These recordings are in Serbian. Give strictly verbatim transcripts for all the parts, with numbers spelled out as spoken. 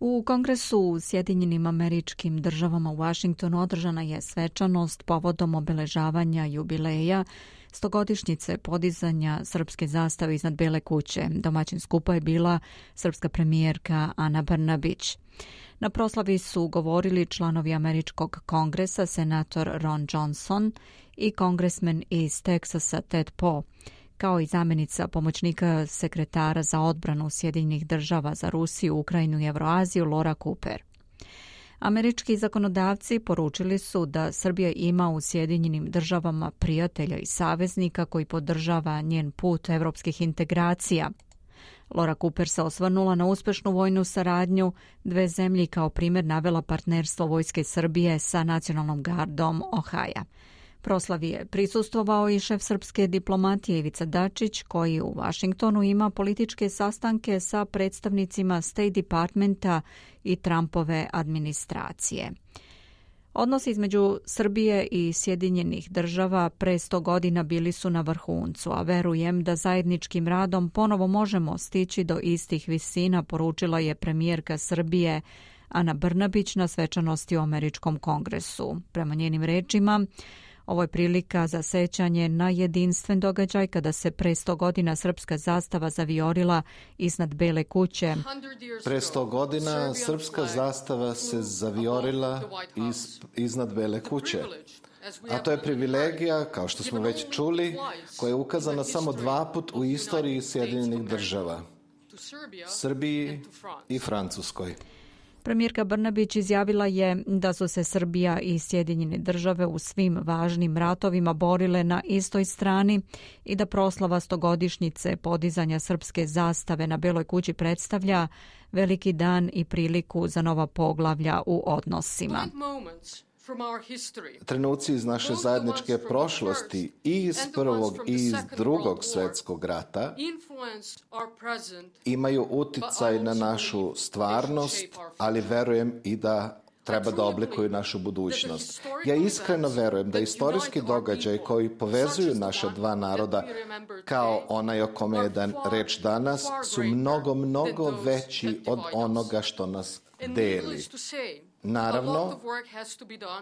U Kongresu u Sjedinjenim Američkim Državama u Vašingtonu održana je svečanost povodom obeležavanja jubileja stogodišnjice podizanja srpske zastave iznad Bele kuće. Domaćin skupa je bila srpska premijerka Ana Brnabić. Na proslavi su govorili članovi Američkog kongresa, senator Ron Johnson i kongresmen iz Teksasa Ted Poe, kao i zamjenica pomoćnika sekretara za odbranu Sjedinjenih država za Rusiju, Ukrajinu i Evroaziju Laura Cooper. Američki zakonodavci poručili su da Srbija ima u Sjedinjenim državama prijatelja i saveznika koji podržava njen put evropskih integracija. Laura Cooper se osvrnula na uspešnu vojnu saradnju dve zemlje i kao primjer navela partnerstvo Vojske Srbije sa Nacionalnom gardom Ohaja. Proslavi je prisustvovao i šef srpske diplomatije Ivica Dačić, koji u Vašingtonu ima političke sastanke sa predstavnicima State Departmenta i Trumpove administracije. Odnosi između Srbije i Sjedinjenih država pre sto godina bili su na vrhuncu, a verujem da zajedničkim radom ponovo možemo stići do istih visina, poručila je premijerka Srbije Ana Brnabić na svečanosti u Američkom kongresu. Prema njenim rečima, ovo je prilika za sećanje na jedinstven događaj kada se pre sto godina srpska zastava zavijorila iznad Bele kuće. Pre sto godina srpska zastava se zavijorila iz, iznad Bele kuće. A to je privilegija, kao što smo već čuli, koja je ukazana samo dva put u istoriji Sjedinjenih država, Srbiji i Francuskoj. Premijerka Brnabić izjavila je da su se Srbija i Sjedinjene države u svim važnim ratovima borile na istoj strani i da proslava stogodišnjice podizanja srpske zastave na Beloj kući predstavlja veliki dan i priliku za nova poglavlja u odnosima. Trenuci iz naše zajedničke prošlosti i iz prvog i iz drugog svjetskog rata imaju uticaj na našu stvarnost, ali verujem i da treba da oblikuju našu budućnost. Ja iskreno verujem da istorijski događaj koji povezuju naša dva naroda, kao onaj o kome je dan reč danas, su mnogo, mnogo veći od onoga što nas deli. Naravno,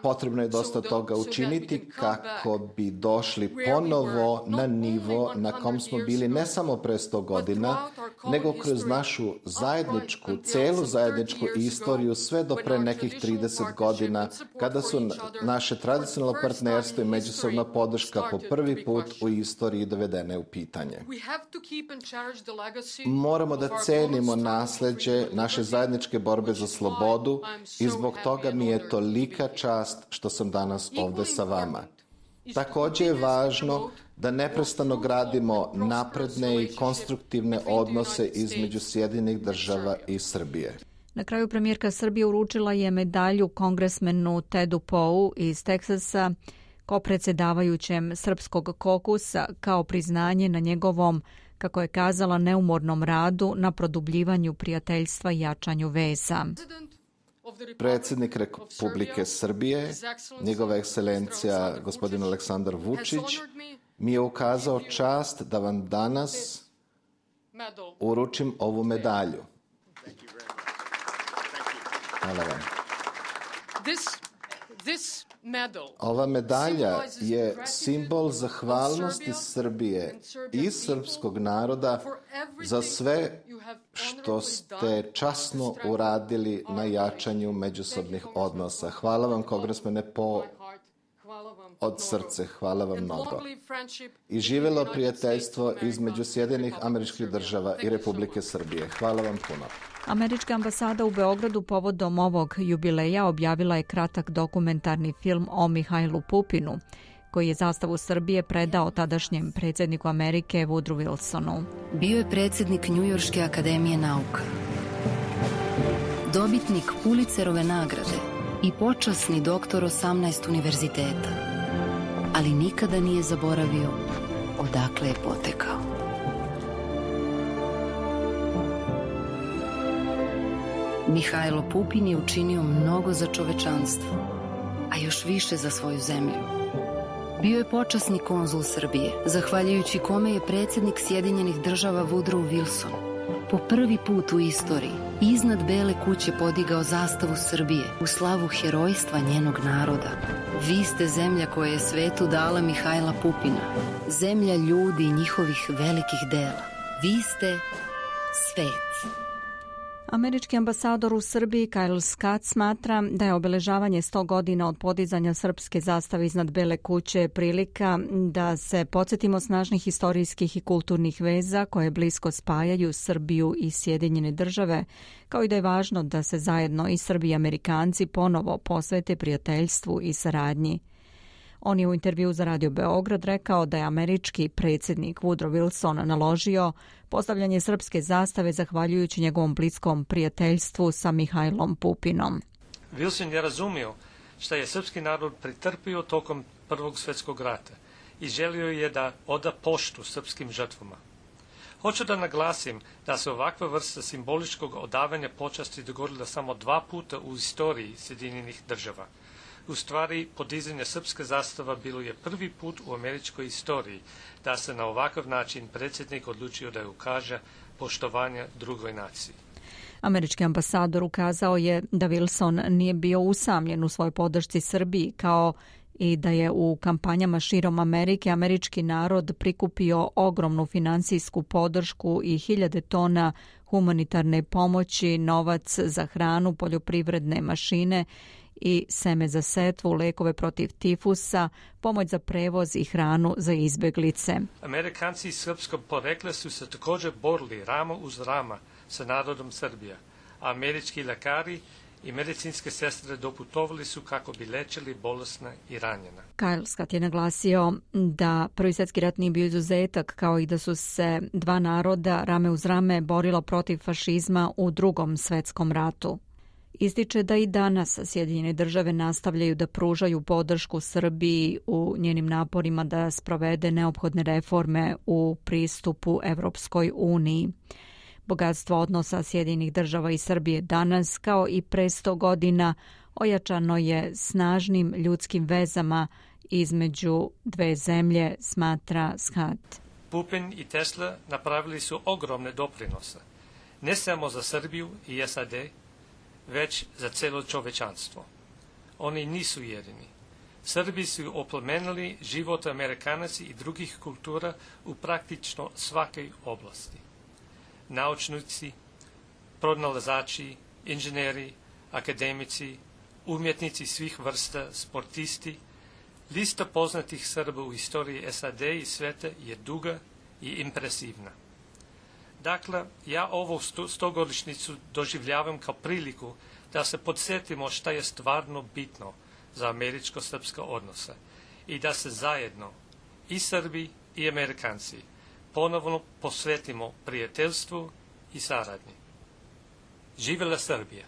potrebno je dosta toga učiniti kako bi došli ponovo na nivo na kom smo bili ne samo pre sto godina, nego kroz našu zajedničku, celu zajedničku istoriju sve do pre nekih trideset godina, kada su naše tradicionalno partnerstvo i međusobna podrška po prvi put u istoriji dovedene u pitanje. Moramo da cenimo nasleđe naše zajedničke borbe za slobodu i zbog toga mi je tolika čast što sam danas ovde sa vama. Također je važno da neprestano gradimo napredne i konstruktivne odnose između Sjedinjenih država i Srbije. Na kraju premijerka Srbije uručila je medalju kongresmenu Tedu Poeu iz Teksasa kao predsjedavajućem srpskog kokusa kao priznanje na njegovom, kako je kazala, neumornom radu na produbljivanju prijateljstva i jačanju veza. Predsjednik Republike Srbije, njegova ekscelencija gospodin Aleksandar Vučić, mi je ukazao čast da vam danas uručim ovu medalju. Hvala vam. Ova medalja je simbol zahvalnosti Srbije i srpskog naroda za sve što ste časno uradili na jačanju međusobnih odnosa. Hvala vam, kongresmene Poe, od srce. Hvala vam mnogo. I živelo prijateljstvo između Sjedinjenih Američkih Država i Republike Srbije. Hvala vam puno. Američka ambasada u Beogradu povodom ovog jubileja objavila je kratak dokumentarni film o Mihajlu Pupinu, koji je zastavu Srbije predao tadašnjem predsjedniku Amerike Woodrow Wilsonu. Bio je predsjednik Njujorške akademije nauka, dobitnik Pulitzerove nagrade i počasni doktor osamnaest univerziteta, ali nikada nije zaboravio odakle je potekao. Mihajlo Pupin je učinio mnogo za čovečanstvo, a još više za svoju zemlju. Bio je počasni konzul Srbije, zahvaljujući kome je predsjednik Sjedinjenih država Woodrow Wilson po prvi put u istoriji iznad Bele kuće podigao zastavu Srbije u slavu herojstva njenog naroda. Vi ste zemlja koja je svetu dala Mihajla Pupina, zemlja ljudi i njihovih velikih dela. Vi ste svet. Američki ambasador u Srbiji Kyle Scott smatra da je obeležavanje sto godina od podizanja srpske zastave iznad Bele kuće prilika da se podsjetimo snažnih historijskih i kulturnih veza koje blisko spajaju Srbiju i Sjedinjene države, kao i da je važno da se zajedno i Srbi i Amerikanci ponovo posvete prijateljstvu i saradnji. On je u intervju za Radio Beograd rekao da je američki predsjednik Woodrow Wilson naložio postavljanje srpske zastave zahvaljujući njegovom bliskom prijateljstvu sa Mihajlom Pupinom. Wilson je razumio šta je srpski narod pretrpio tokom Prvog svjetskog rata i želio je da oda poštu srpskim žrtvama. Hoću da naglasim da se ovakva vrsta simboličkog odavanja počasti dogodila samo dva puta u istoriji Sjedinjenih država. U stvari, podizanje srpske zastava bilo je prvi put u američkoj istoriji da se na ovakav način predsjednik odlučio da ukaže poštovanje drugoj naciji. Američki ambasador ukazao je da Wilson nije bio usamljen u svojoj podršci Srbiji, kao i da je u kampanjama širom Amerike američki narod prikupio ogromnu finansijsku podršku i hiljade tona humanitarne pomoći, novac za hranu, poljoprivredne mašine i seme za setvu, lekove protiv tifusa, pomoć za prevoz i hranu za izbeglice. Amerikanci srpskog porekla su se također borili ramo uz rama sa narodom Srbija, a američki lekari i medicinske sestre doputovali su kako bi lečili bolesna i ranjena. Kyle Scott je naglasio da Prvi svjetski rat nije bio izuzetak, kao i da su se dva naroda rame uz rame borilo protiv fašizma u Drugom svjetskom ratu. Ističe da i danas Sjedinjene države nastavljaju da pružaju podršku Srbiji u njenim naporima da sprovede neophodne reforme u pristupu Evropskoj uniji. Bogatstvo odnosa Sjedinjenih država i Srbije danas, kao i pre sto godina, ojačano je snažnim ljudskim vezama između dve zemlje, smatra Scott. Pupin i Tesla napravili su ogromne doprinose, ne samo za Srbiju i S A D, već za celo čovečanstvo. Oni nisu jedini. Srbi su oplemenili život Amerikanaca i drugih kultura u praktično svakoj oblasti. Naučnici, pronalazači, inženjeri, akademici, umjetnici svih vrsta, sportisti, lista poznatih Srba u istoriji S A D i sveta je duga i impresivna. Dakle, ja ovu stogodišnjicu doživljavam kao priliku da se podsjetimo šta je stvarno bitno za američko-srpske odnose i da se zajedno, i Srbi i Amerikanci, ponovno posvetimo prijateljstvu i saradnji. Živela Srbija!